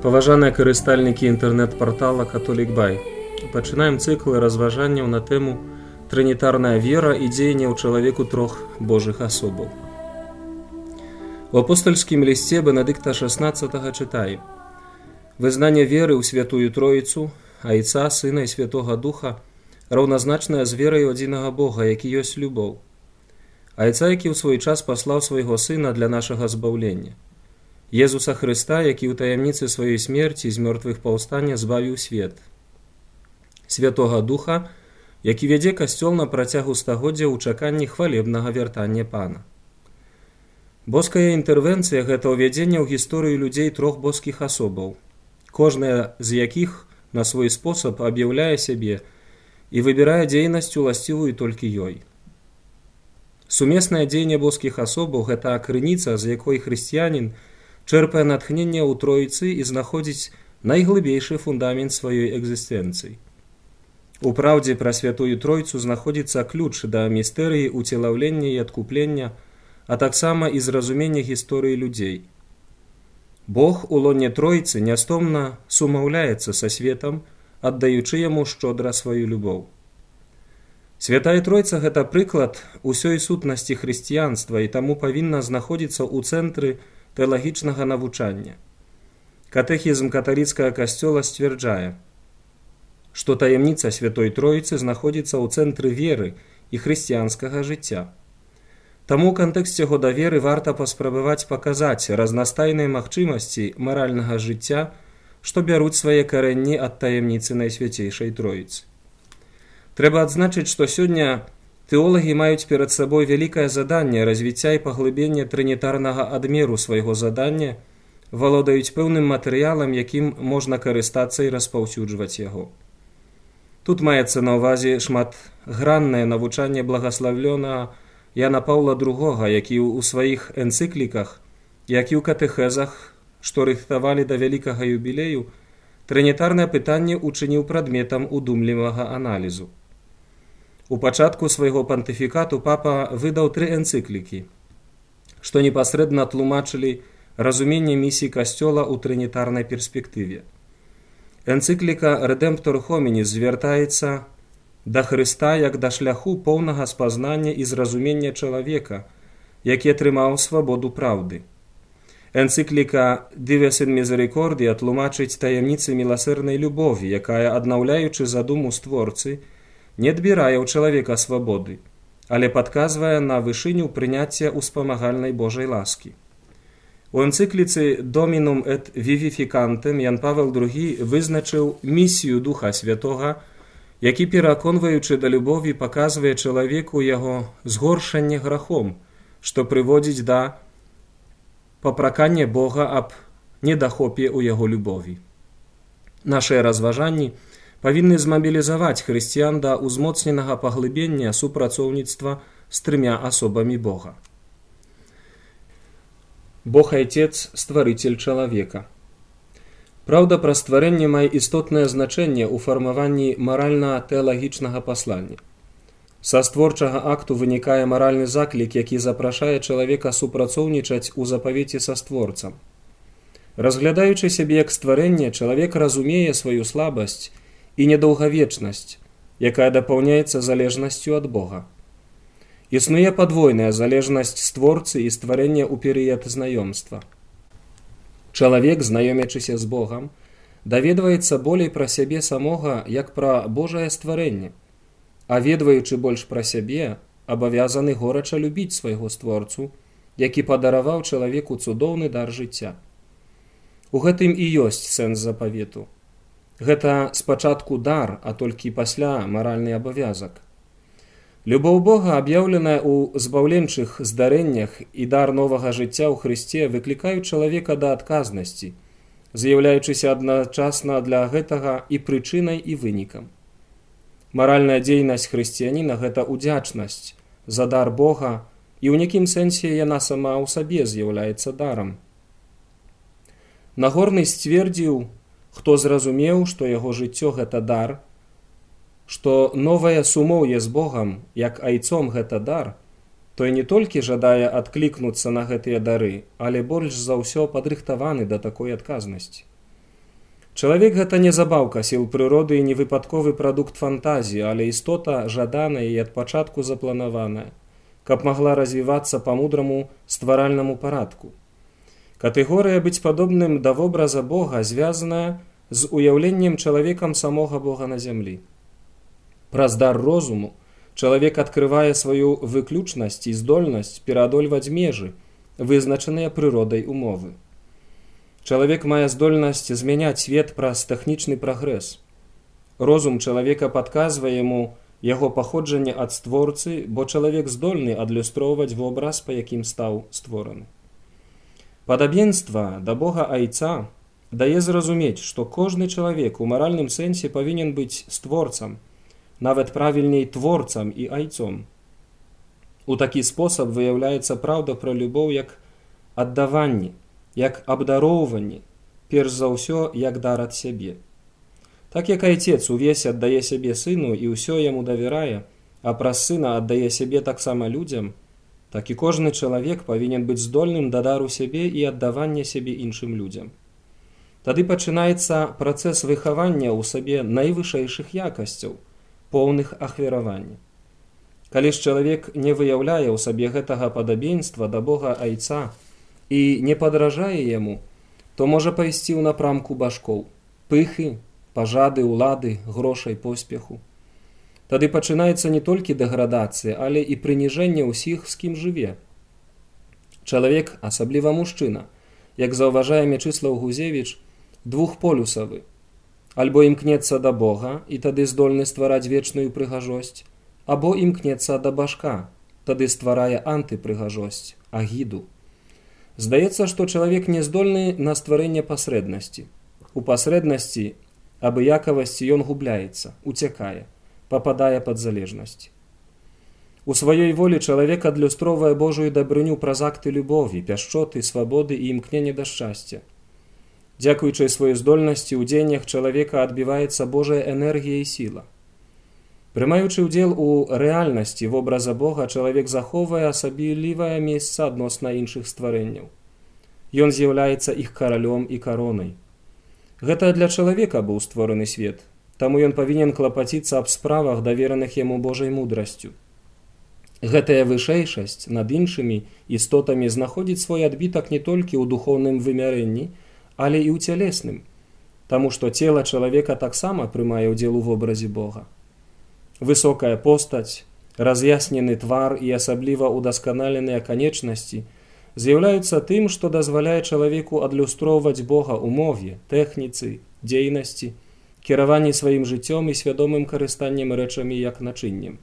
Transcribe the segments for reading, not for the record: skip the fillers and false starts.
Паважаныя карыстальнікі інтэрнэт-партала Католік Бай. Пачынаем цыклы разважанняў на тэму «Трынітарная вера і дзеянне ў чалавеку трох божых асобаў». У апостольскім лісце Бенедыкта XVI чытаем: «Вызнанне веры ў Святую Троіцу, Айца, Сына і Святога Духа раўназначнае з верай у адзінага Бога, які ёсць любоў. Айца, які ў свой час паслаў свайго Сына для нашага збаўлення. Езуса Хрыста, які ў таямніцы сваёй смерці з мёртвых паўстання збавіў свет. Святога Духа, які вядзе касцёл на працягу стагоддзя ў чаканні хвалебнага вяртання Пана». Боская інтэрвенцыя – гэта ўвядзенне ў гісторыю людзей трох боскіх асобаў, кожная з якіх на свой спосаб аб'яўляе сябе і выбірае дзейнасць уласцівую толькі ёй. Сумеснае дзеянне боскіх асобаў – гэта крыніца, з якой хрысціянін чэрпае натхненне ў Троіцы і знаходзіць найглыбейшы фундамент сваёй экзістэнцыі. У праўдзе пра Святую Тройцу знаходзіцца ключ да містэрыі ўцелаўлення і адкуплення, а таксама і зразумення гісторыі людзей. Бог у лоне Тройцы нястомна сумаўляецца са светам, аддаючы яму шчодра сваю любоў. Святая Тройца – гэта прыклад усёй сутнасці хрысціянства і таму павінна знаходзіцца ў цэнтры тэалагічнага навучання. Катэхізм каталіцкага касцёла сцвярджае, што таямніца Святой Троіцы знаходзіцца ў цэнтры веры і хрысціянскага жыцця. Таму ў кантэксце года веры варта паспрабаваць паказаць разнастайныя магчымасці маральнага жыцця, што бяруць свае карэнні ад таямніцы Найсвяцейшай Троіцы. Трэба адзначыць, што сёння тэолагі маюць перад сабой вялікае заданне развіцця і паглыбення трынітарнага адмеру свайго задання, валодаюць пэўным матэрыялам, якім можна карыстацца і распаўсюджваць яго. Тут маецца на ўвазе шматграннае навучанне благаславлёнага Яна Паўла II, які ў сваіх энцыкліках, як і ў катэхезах, што рыхтавалі да вялікага юбілею, трынітарнае пытанне учыніў прадметам удумлівага аналізу. У пачатку свайго пантыфікату папа выдаў 3 энцыклікі, што непасрэдна тлумачылі разуменне місіі касцёла ў трынітарнай перспектыве. Энцыкліка «Redemptor Hominis» звяртаецца да Хрыста як да шляху поўнага спазнання і зразумення чалавека, які атрымаў свабоду праўды. Энцыкліка «Dives in Misericordia» тлумачыць таямніцы міласэрнай любові, якая, аднаўляючы задуму створцы, не адбірае ў чалавека свабоды, але падказвае на вышыню прыняцця ўспамагальнай Божай ласкі. У энцыкліцы «Dominum et Vivificantem» Ян Павел II вызначыў місію Духа Святога, які, пераконваючы да любові, паказвае чалавеку яго згоршанне грахом, што прыводзіць да папракання Бога аб недахопе ў яго любові. Нашыя разважанні павінны змабілізаваць хрысціян да ўзмоцненага паглыбення супрацоўніцтва з 3 асобамі Бога. Бог Айцец – стварыцель чалавека. Праўда пра стварэнне мае істотнае значэнне ў фармаванні маральна-тэалагічнага паслання. Са створчага акту вынікае маральны заклік, які запрашае чалавека супрацоўнічаць у запавеце са створцам. Разглядаючы сябе як стварэнне, чалавек разумее сваю слабасць і недаўгавечнасць, якая дапаўняецца залежнасцю ад Бога. Існуе падвойная залежнасць створцы і стварэння ў перыяд знаёмства. Чалавек, знаёмячыся з Богам, даведваецца болей пра сябе самога, як пра Божае стварэнне, а ведваючы больш пра сябе, абавязаны горача любіць свайго створцу, які падараваў чалавеку цудоўны дар жыцця. У гэтым і ёсць сэнс запавету. Гэта спачатку дар, а толькі пасля маральны абавязак. Любоў Бога, аб'яўленая ў збаўленчых здарэннях, і дар новага жыцця ў Хрысце выклікаюць чалавека да адказнасці, з'яўляючыся адначасна для гэтага і прычынай, і вынікам. Маральная дзейнасць хрысціяніна – гэта ўдзячнасць за дар Бога, і ў нейкім сэнсе яна сама ў сабе з'яўляецца дарам. Нагорны сцвердзіў, хто зразумеў, што яго жыццё – гэта дар, што новае сумоўе з Богам, як айцом гэта дар, той не толькі жадае адклікнуцца на гэтыя дары, але больш за ўсё падрыхтаваны да такой адказнасці. Чалавек гэта не забаўка сіл прыроды і не выпадковы прадукт фантазіі, але істота жаданая і ад пачатку запланаваная, каб магла развівацца па мудраму стваральнаму парадку. Катэгорыя быць падобным да вобраза Бога звязаная з уяўленнем чалавекам самога Бога на зямлі. Праз дар розуму чалавек адкрывае сваю выключнасць і здольнасць пераадольваць межы, вызначаныя прыродай умовы. Чалавек мае здольнасць змяняць свет праз тэхнічны прагрэс. Розум чалавека падказвае яму яго паходжанне ад створцы, бо чалавек здольны адлюстроўваць вобраз, па якім стаў створаны. Падабенства да Бога Айца дае зразумець, што кожны чалавек у маральным сэнсе павінен быць створцам, нават правільней творцам і айцом. У такі спосаб выяўляецца праўда пра любоў як аддаванне, як абдароўванне, перш за ўсё, як дар ад сябе. Так як айцец увесь аддае сябе сыну і ўсё яму давярае, а праз сына аддае сябе таксама людзям, так і кожны чалавек павінен быць здольным да дару сябе і аддавання сябе іншым людзям. Тады пачынаецца працэс выхавання ў сабе найвышэйшых якасцяў, поўных ахвяравання. Калі ж чалавек не выяўляе ў сабе гэтага падабенства да Бога Айца і не падражае яму, то можа пайсці ў напрамку башкоў, пыхы, пажады, улады, грошай, поспеху. Тады пачынаецца не толькі дэградацыя, але і прыніжэнне ўсіх, з кім жыве. Чалавек, асабліва мужчына, як заўважае Мячыслаў Гузевіч, двухполюсавы. Альбо імкнецца да Бога і тады здольны ствараць вечную прыгажосць, або імкнецца да башка, тады стварае антыпрыгажосць, агіду. Здаецца, што чалавек не здольны на стварэнне пасрэднасці. У пасрэднасці, абыякавасці ён губляецца, уцякае, пападае пад залежнасць. У сваёй волі чалавек адлюстроўвае Божую дабрыню праз акты любові, пяшчоты, свабоды і імкнення да шчасця. Дзякуючы сваёй здольнасці ў дзеяннях чалавека адбіваецца Божая энергія і сіла. Прымаючы ўдзел у рэальнасці вобраза Бога, чалавек захоўвае асаблівае месца адносна іншых стварэнняў. Ён з'яўляецца іх каралём і каронай. Гэта для чалавека быў створаны свет, таму ён павінен клапаціцца аб справах, давераных яму Божай мудрасцю. Гэтая вышэйшасць над іншымі істотамі знаходзіць свой адбітак не толькі ў духоўным вымярэнні, але і ў цялесным, таму што цела чалавека таксама прымае ўдзел у вобразе Бога. Высокая постаць, раз'яснены твар і асабліва удасканаленыя канечнасці з'яўляюцца тым, што дазваляе чалавеку адлюстроўваць Бога ў мове, тэхніцы, дзейнасці, кіраванні сваім жыццём і свядомым карыстаннем рэчамі як начыннем.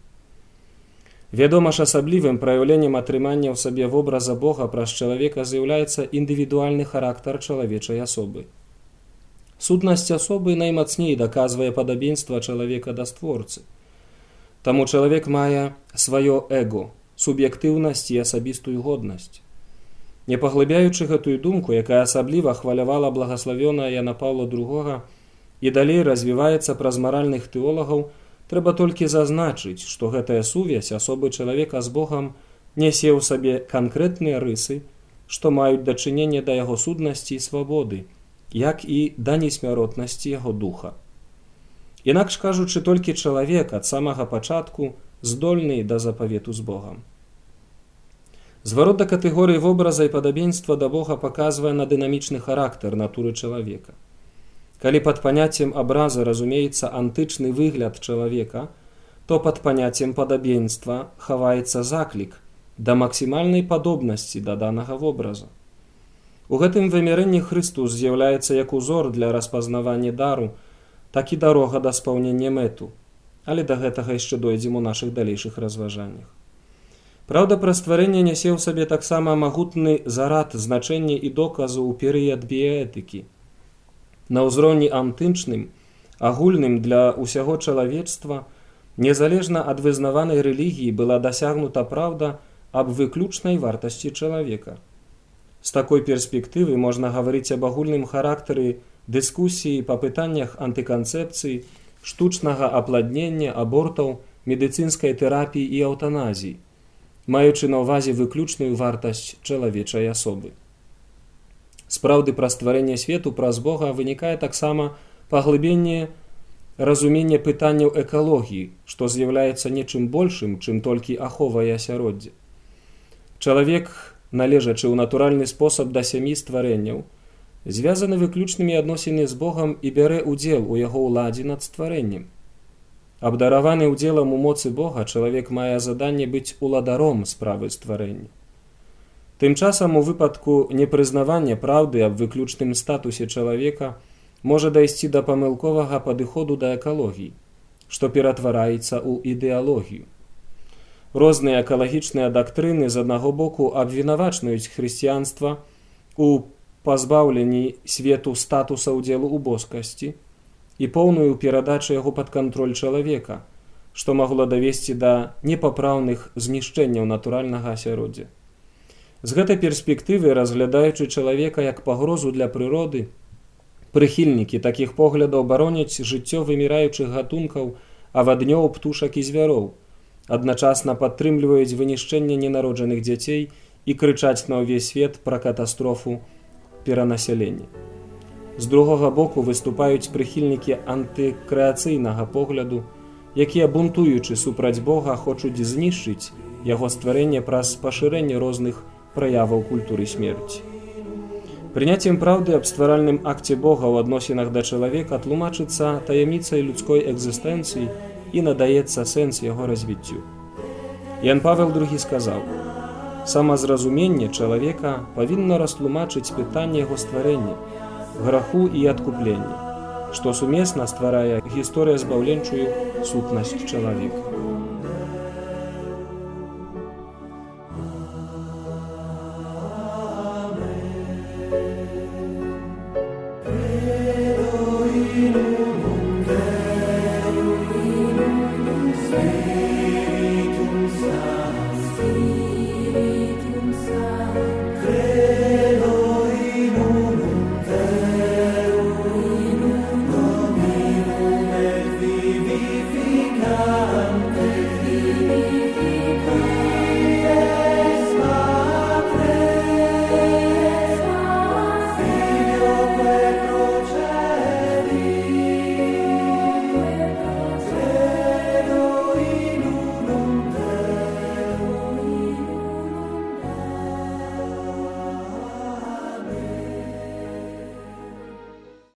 Вядома ж, асаблівым праяўленнем атрымання ў сабе вобраза Бога праз чалавека з'яўляецца індывідуальны характар чалавечай асобы. Сутнасць асобы наймацней даказвае падабенства чалавека да створцы. Таму чалавек мае сваё эго, суб'ектыўнасць і асабістую годнасць. Не паглыбяючы гэтую думку, якая асабліва хвалявала благаславёная Яна Паўла II і далей развіваецца праз маральных тэолагаў, трэба толькі зазначыць, што гэтая сувязь асобы чалавека з Богам нясе ў сабе канкрэтныя рысы, што маюць дачыненне да яго суднасці і свабоды, як і да несмяротнасці яго духа. Інакш кажучы, толькі чалавек ад самага пачатку здольны да запавету з Богам. Зварот да катэгорыі вобраза і падабенства да Бога паказвае на дынамічны характар натуры чалавека. Калі пад паняццем абраза разумеецца антычны выгляд чалавека, то пад паняццем падабенства хаваецца заклік да максімальнай падобнасці да данага вобраза. У гэтым вымярэнні Хрыстус з'яўляецца як узор для распазнавання дару, так і дарога да спаўнення мэту, але да гэтага яшчэ дойдзем у нашых далейшых разважаннях. Праўда, пра стварэнне нясе ў сабе таксама магутны зарад значэння і доказу ў перыяд біяэтыкі. На ўзроўні антычным, агульным для ўсяго чалавецтва, незалежна ад вызнаванай рэлігіі была дасягнута праўда аб выключнай вартасці чалавека. З такой перспектывы можна гаварыць аб агульным характары дыскусіі па пытаннях антыканцэпцыі, штучнага апладнення, абортаў, медыцынскай тэрапіі і эўтаназіі, маючы на ўвазе выключную вартасць чалавечай асобы. З праўды пра стварэнне свету праз Бога вынікае таксама паглыбленне разумення пытанняў экалогіі, што з'яўляецца нечым большым, чым толькі аховае асяроддзе. Чалавек, належачы ў натуральны спосаб да сям'і стварэнняў, звязаны выключнымі адносінамі з Богам і бярэ ўдзел у яго ўладзе над стварэннем. Абдараваны ўдзелам у моцы Бога, чалавек мае заданне быць уладаром справы стварэння. Тым часам у выпадку непрызнавання праўды аб выключным статусе чалавека можа дайсці да памылковага падыходу да экалогіі, што ператвараецца ў ідэалогію. Розныя экалагічныя дактрыны з аднаго боку абвінавачваюць хрысціянства у пазбаўленні свету статуса ўдзелу ў боскасці і поўную перадачу яго пад кантроль чалавека, што магло давесці да непапраўных знішчэнняў натуральнага асяроддзя. З гэтай перспектывы, разглядаючы чалавека як пагрозу для прыроды, прыхільнікі такіх поглядаў бароняць жыццё выміраючых гатункаў, аваднёў, птушак і звяроў, адначасна падтрымліваюць вынішчэнне ненароджаных дзяцей і крычаць на ўвесь свет пра катастрофу перанасялення. З другога боку выступаюць прыхільнікі антыкрэацыйнага погляду, якія, бунтуючы супраць Бога, хочуць знішчыць яго стварэнне праз пашырэнне розных праяваў культуры смерці. Прыняццем праўды аб стваральным акце Бога ў адносінах да чалавека тлумачыцца таямніцай людской экзістэнцыі і надаецца сэнс яго развіццю. Ян Павел II сказаў: «Самазразуменне чалавека павінна растлумачыць пытанне яго стварэння, граху і адкуплення, што сумесна стварае гісторыя збаўленчую сутнасць чалавека».